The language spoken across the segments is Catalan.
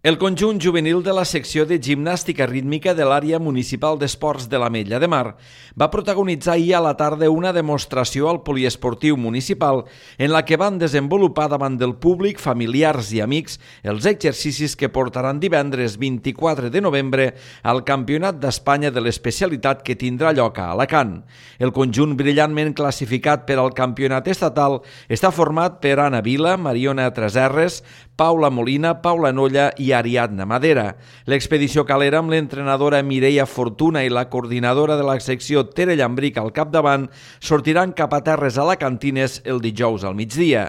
El conjunt juvenil de la secció de gimnàstica rítmica de l'àrea municipal d'esports de l'Ametlla de Mar va protagonitzar ahir a la tarda una demostració al poliesportiu municipal en la que van desenvolupar davant del públic, familiars i amics els exercicis que portaran divendres 24 de novembre al Campionat d'Espanya de l'especialitat que tindrà lloc a Alacant. El conjunt brillantment classificat per al campionat estatal està format per Anna Vila, Mariona Treserres, Paula Molina, Paula Nolla i Ariadna Madera. L'expedició calera amb l'entrenadora Mireia Fortuna i la coordinadora de la secció Tere Llambric al capdavant sortiran cap a terres alacantines el dijous al migdia.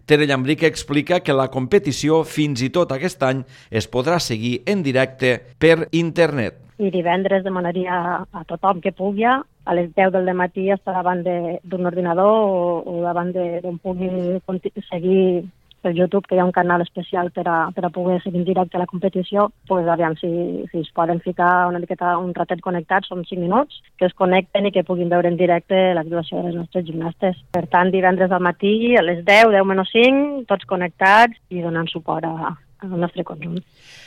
Tere Llambric explica que la competició fins i tot aquest any es podrà seguir en directe per internet. I divendres demanaria a tothom que pugui a les 10 del matí estar davant d'un ordinador o davant d'on pugui seguir per YouTube, que hi ha un canal especial per a poder seguir en directe la competició. Pues, aviam si es poden ficar una miqueta un ratet connectats, són 5 minuts, que es connecten i que puguin veure en directe l'actuació de les nostres gimnastes. Per tant, divendres al matí, a les 10 menys 5, tots connectats i donant suport al nostre conjunt.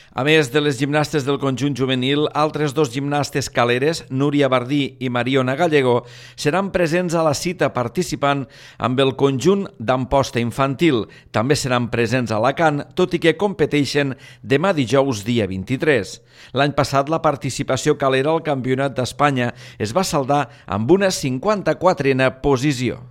A més de les gimnastes del conjunt juvenil, altres dos gimnastes caleres, Núria Bardí i Mariona Gallego, seran presents a la cita participant amb el conjunt d'Amposta infantil. També seran presents a Alacant, tot i que competeixen demà dijous dia 23. L'any passat la participació calera al Campionat d'Espanya es va saldar amb una 54a posició.